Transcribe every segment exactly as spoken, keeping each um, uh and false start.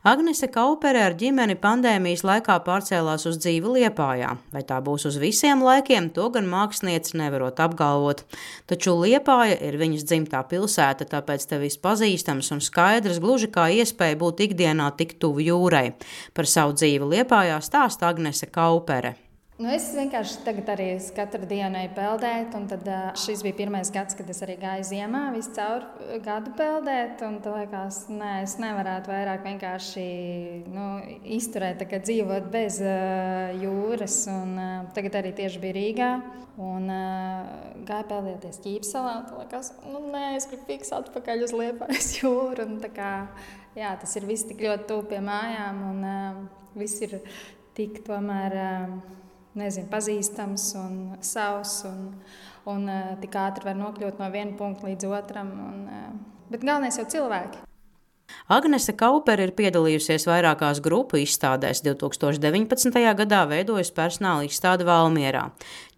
Agnese Kaupere ar ģimeni pandēmijas laikā pārcēlās uz dzīvi Liepājā. Vai tā būs uz visiem laikiem, to gan māksliniece nevarot apgalvot. Taču Liepāja ir viņas dzimtā pilsēta, tāpēc te viss pazīstams un skaidrs, gluži kā iespēja būt ikdienā tik tuvu jūrai. Par savu dzīvi Liepājā stāsta Agnese Kaupere. Nu, es vienkārši tagad arī katru dienu eju peldēt, un tad uh, šis bija pirmais gads, kad es arī gāju ziemā visu caur gadu peldēt, un tad liekas, nē, es nevarētu vairāk vienkārši nu, izturēt, tā kā dzīvot bez uh, jūras, un uh, tagad arī tieši bija Rīgā, un uh, gāju peldēties Ķīpsalā, un tad liekas, nu nē, es gribu fiks atpakaļ uz Liepājas jūru, un tā kā, jā, tas ir viss tik ļoti tuvu pie mājām, un uh, viss ir tik tomēr... Uh, Nezinu, pazīstams un savs, un, un uh, tik ātri var nokļūt no viena punkta līdz otram. Un, uh, bet galvenais jau cilvēki. Agnese Kaupere ir piedalījusies vairākās grupu izstādēs. divs tūkstoši deviņpadsmitajā gadā veidojusi personāla izstādi Valmierā.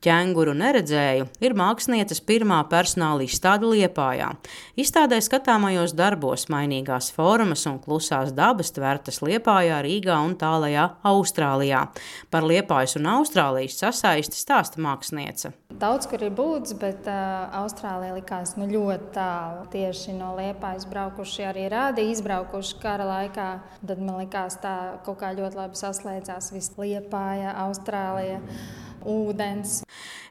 Ķenguru neredzēju ir mākslinieces pirmā personāla izstāde Liepājā. Izstādē skatāmajos darbos mainīgās formas un klusās dabas tvertas Liepājā, Rīgā un tālajā Austrālijā. Par Liepājas un Austrālijas sasaisti stāsta māksliniece. Daudz, kur ir būts, bet uh, Austrālija likās nu, ļoti tālu. Tieši no Liepājas braukuši arī rādi, izbraukuši kara laikā. Tad man likās tā kaut kā ļoti labi saslēdzās viss Liepāja, Austrālija. Ūdens.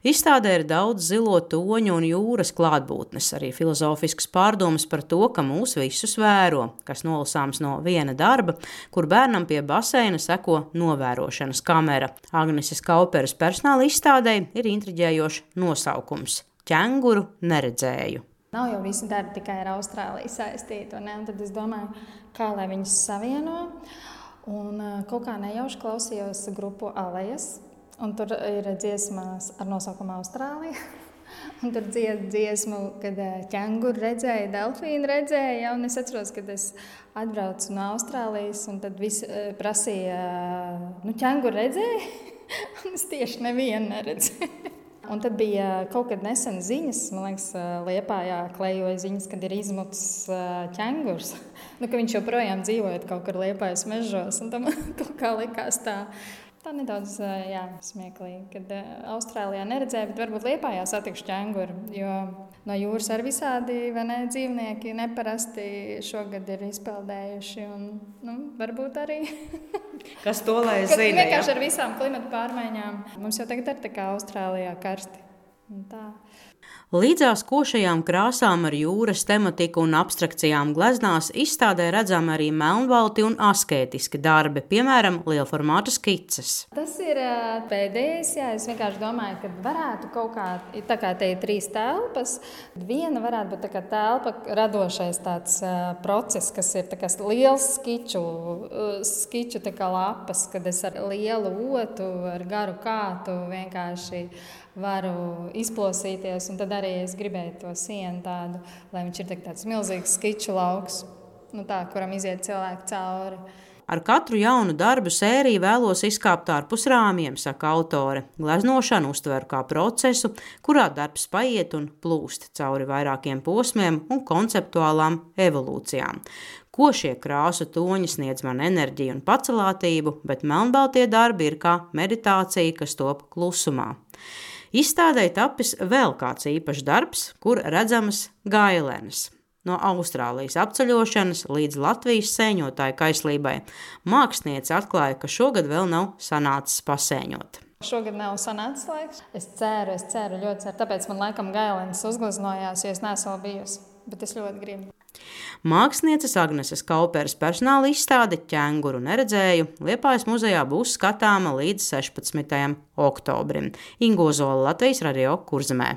Izstādē ir daudz zilo toņu un jūras klātbūtnes, arī filozofisks pārdomas par to, ka mūs visus vēro, kas nolasāms no viena darba, kur bērnam pie baseina seko novērošanas kamera. Agneses Kauperes personāla izstādē ir intriģējošs nosaukums – Ķenguru neredzēju. Nav jau visi darbi tikai ar Austrāliju saistīti, un, ne? Un tad es domāju, kā lai viņus savieno, un kaut kā nejauši klausījos grupu Alejas. Un tur ir dziesmas ar nosaukumu Austrālija. Un tur dzied dziesmu, kad ķenguru redzēja, delfīnu redzēja. Un es atceros, kad es atbraucu no Austrālijas, un tad visi prasīja, nu ķenguru redzēja? Un es tieši nevienu neredzēju. Un tad bija kaut kad nesen ziņas, man liekas, Liepājā klejoja ziņas, kad ir izmucis ķengurs. Nu, ka viņš joprojām dzīvojot kaut kur Liepājas mežos. Un tam kaut kā likās tā. Tā nedaudz jā, smieklīgi, kad Austrālijā neredzēju, bet varbūt Liepājā satikšu ķenguru, jo no jūras ar visādi vai ne, dzīvnieki neparasti šogad ir izpeldējuši, un nu, varbūt arī. Kas to lai zina? Vienkārši ja? Ar visām klimata pārmaiņām. Mums jau tagad ir tā kā Austrālijā karsti. Un tā. Līdzās košajām krāsām ar jūras tematiku un abstrakcijām gleznās izstādē redzam arī melnbalti un askētiski darbi, piemēram, lielformāta skices. Tas ir pēdējais, jā, es vienkārši domāju, ka varētu kaut kā, tā kā te ir trīs telpas, viena varētu būt tā kā telpa radošais tāds uh, process, kas ir tā kā liels skiču, uh, skiču tā kā lapas, kad es ar lielu otu, ar garu kātu vienkārši varu izplosīties, un tad arī es gribēju to sienu tādu, lai viņš ir tāds milzīgs skiču lauks, nu tā, kuram iziet cilvēki cauri. Ar katru jaunu darbu sēriju vēlos izkāpt ārpus rāmjiem, saka autore. Gleznošanu uztveru kā procesu, kurā darbs paiet un plūst cauri vairākiem posmiem un konceptuālām evolūcijām. Ko šie krāsu toņi sniedz man enerģiju un pacelātību, bet melnbaltie darbi ir kā meditācija, kas top klusumā. Izstādē tapis vēl kāds īpašs darbs, kur redzamas gailenes. No Austrālijas apceļošanas līdz Latvijas sēņotāju kaislībai māksliniece atklāja, ka šogad vēl nav sanācis pasēņot. Šogad nav sanācis laiks. Es ceru, es ceru, ļoti ceru. Tāpēc man laikam gailenes uzgleznojās, jo es neesmu vēl bijusi, bet es ļoti gribu. Mākslinieces Agneses Kauperes personāla izstāde Ķenguru neredzēju Liepājas muzejā būs skatāma līdz sešpadsmitajam oktobrim. Ingo Zola, Latvijas radio Kurzemē.